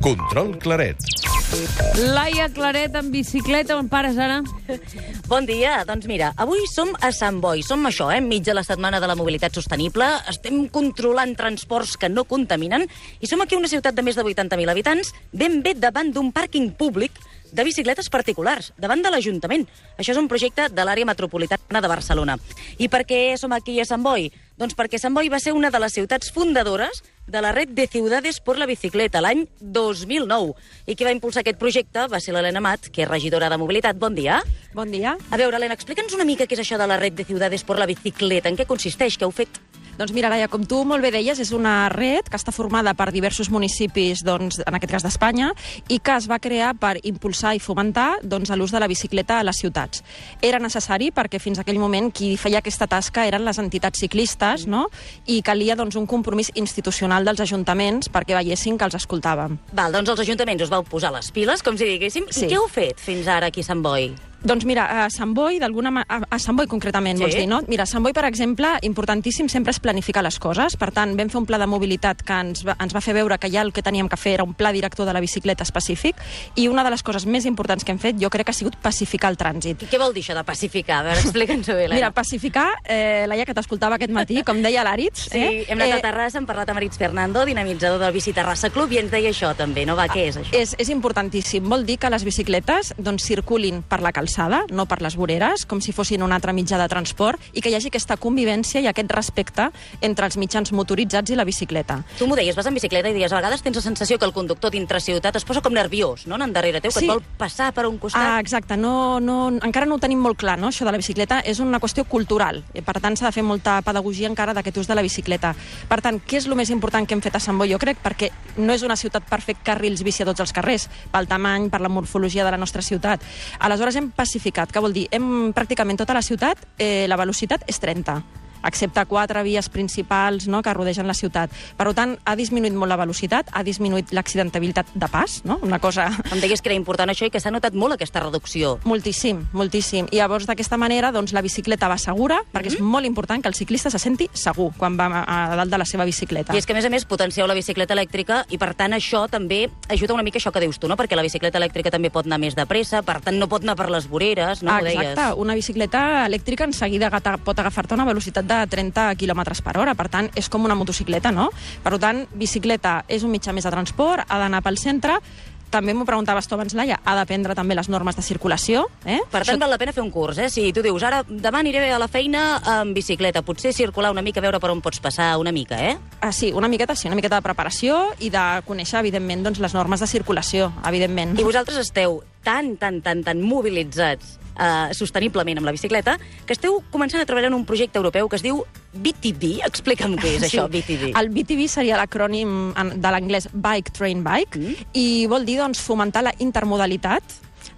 Control Claret. Laia Claret en bicicleta, on pares ara? Bon dia. Doncs mira, avui som a Sant Boi. Som això, enmig de la Setmana de la Mobilitat Sostenible. Estem controlant transports que no contaminen i som aquí a una ciutat de més de 80.000 habitants, ben bé davant d'un pàrquing públic de bicicletes particulars, davant de l'Ajuntament. Això és un projecte de l'àrea metropolitana de Barcelona. I per què som aquí a Sant Boi? Doncs perquè Sant Boi va ser una de les ciutats fundadores de la Red de Ciudades por la Bicicleta l'any 2009. I qui va impulsar aquest projecte va ser l'Helena Amat, que és regidora de Mobilitat. Bon dia. Bon dia. A veure, Helena, explica'ns una mica què és això de la Red de Ciudades por la Bicicleta. En què consisteix? Què heu fet? Doncs mira, Laia, com tu molt bé deies, és una red que està formada per diversos municipis, doncs, en aquest cas d'Espanya, i que es va crear per impulsar i fomentar l'ús de la bicicleta a les ciutats. Era necessari perquè fins a aquell moment qui feia aquesta tasca eren les entitats ciclistes, no? I calia un compromís institucional dels ajuntaments perquè veiessin que els escoltàvem. Val, doncs els ajuntaments us vau posar les piles, com si diguéssim. Sí. I què heu fet fins ara aquí a Sant Boi? Doncs mira, a Sant Boi, a Sant Boi concretament, Sí? vols dir, no? Mira, a Sant Boi, per exemple, importantíssim sempre és planificar les coses. Per tant, vam fer un pla de mobilitat que ens va fer veure que ja el que teníem que fer era un pla director de la bicicleta específic, i una de les coses més importants que hem fet, jo crec que ha sigut pacificar el trànsit. I què vol dir això de pacificar? A veure, explica'ns-ho bé, Helena. Mira, pacificar, Laia, que t'escoltava aquest matí, com deia l'Àritz... Sí, hem anat a Terrassa, hem parlat amb Aritz Fernando, dinamitzador del Bici Terrassa Club, i ens deia això també, no? Va, què és això? És importantíssim. Vol dir que les bicicletes circulin per la calçada, no per les voreres, com si fossin un altre mitjà de transport, i que hi hagi aquesta convivència i aquest respecte entre els mitjans motoritzats i la bicicleta. Tu m'ho deies, vas en bicicleta i deies, a vegades tens la sensació que el conductor dintre ciutat es posa com nerviós, no?, anant darrere teu, que Sí. et vol passar per un costat. Exacte. Encara no ho tenim molt clar, no?, això de la bicicleta. És una qüestió cultural. Per tant, s'ha de fer molta pedagogia encara d'aquest ús de la bicicleta. Per tant, què és el més important que hem fet a Sant Boi, jo crec? Perquè no és una ciutat per fer carrils bici a tots els carrers, pel tamany, per la morfologia de la nostra ciutat. Aleshores hem pacificat. Què vol dir? Pràcticament tota la ciutat, la velocitat és 30, excepte 4 vies principals, no?, que rodegen la ciutat. Per tant, ha disminuït molt la velocitat, ha disminuït l'accidentabilitat de pas, no?, una cosa... Em deies que era important això i que s'ha notat molt aquesta reducció. Moltíssim, moltíssim. I llavors, d'aquesta manera, la bicicleta va segura, perquè és molt important que el ciclista se senti segur quan va a dalt de la seva bicicleta. I és que, a més, potencieu la bicicleta elèctrica i, per tant, això també ajuda una mica això que dius tu, no?, perquè la bicicleta elèctrica també pot anar més de pressa, per tant, no pot anar per les voreres, no? Ho deies. Exacte. Una bicicleta elèctrica en seguida pot agafar-te una velocitat de 30 km per hora. Per tant, és com una motocicleta, no? Per tant, bicicleta és un mitjà més de transport, ha d'anar pel centre. També m'ho preguntaves tu abans, Laia, ha d'aprendre també les normes de circulació. Per tant, val la pena fer un curs, Si tu dius, ara, demà aniré a la feina amb bicicleta, potser circular una mica, veure per on pots passar una mica, Sí, una miqueta de preparació i de conèixer, evidentment, les normes de circulació, evidentment. I vosaltres esteu tan mobilitzats sosteniblement amb la bicicleta, que esteu començant a treballar en un projecte europeu que es diu BTB. Explica'm què és això, BTB. El BTB seria l'acrònim de l'anglès Bike, Train, Bike, i vol dir fomentar la intermodalitat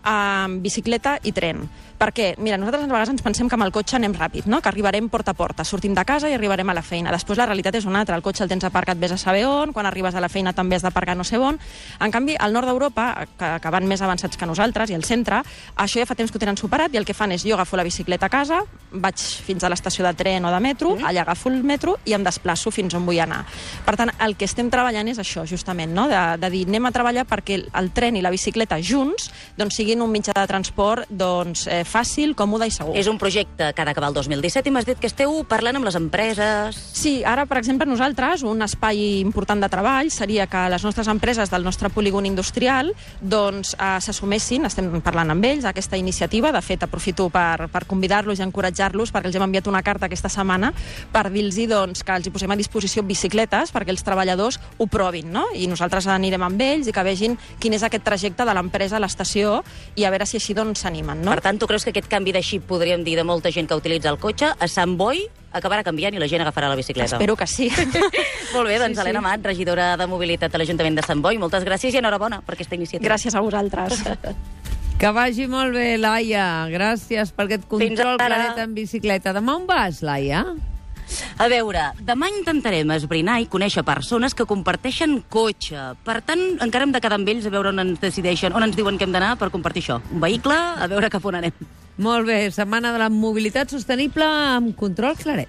amb bicicleta i tren. Perquè, mira, nosaltres a vegades ens pensem que amb el cotxe anem ràpid, no?, que arribarem porta a porta, sortim de casa i arribarem a la feina. Després la realitat és una altra, el cotxe el tens aparcat vés a saber on, quan arribes a la feina també has d'aparcar no sé on. En canvi, al nord d'Europa, que van més avançats que nosaltres, i al centre, això ja fa temps que ho tenen superat, i el que fan és, jo agafo la bicicleta a casa, vaig fins a l'estació de tren o de metro, allà agafo el metro i em desplaço fins on vull anar. Per tant, el que estem treballant és això, justament, no?, de dir, anem a treballar perquè el tren i la bicicleta junts siguin un mitjà de transport fàcil, còmode i segur. És un projecte que ha d'acabar el 2017 i m'has dit que esteu parlant amb les empreses. Sí, ara, per exemple, nosaltres, un espai important de treball seria que les nostres empreses del nostre polígon industrial s'assumessin, estem parlant amb ells, aquesta iniciativa. De fet, aprofito per convidar-los i encoratjar-los, perquè els hem enviat una carta aquesta setmana per dir-los que els posem a disposició bicicletes perquè els treballadors ho provin, no? I nosaltres anirem amb ells i que vegin quin és aquest trajecte de l'empresa a l'estació i a veure si així s'animen, no? Per tant, tu creus que aquest canvi de xip, podríem dir, de molta gent que utilitza el cotxe, a Sant Boi acabarà canviant i la gent agafarà la bicicleta? Espero que sí. Molt bé, doncs Helena Amat, regidora de Mobilitat de l'Ajuntament de Sant Boi, moltes gràcies i enhorabona per aquesta iniciativa. Gràcies a vosaltres. Que vagi molt bé, Laia. Gràcies per aquest control Claret en bicicleta. Demà on vas, Laia? A veure, demà intentarem esbrinar i conèixer persones que comparteixen cotxe. Per tant, encara hem de quedar amb ells a veure on ens decideixen, on ens diuen que hem d'anar per compartir això. Un vehicle, a veure cap on anem. Molt bé, Setmana de la Mobilitat Sostenible amb Control Claret.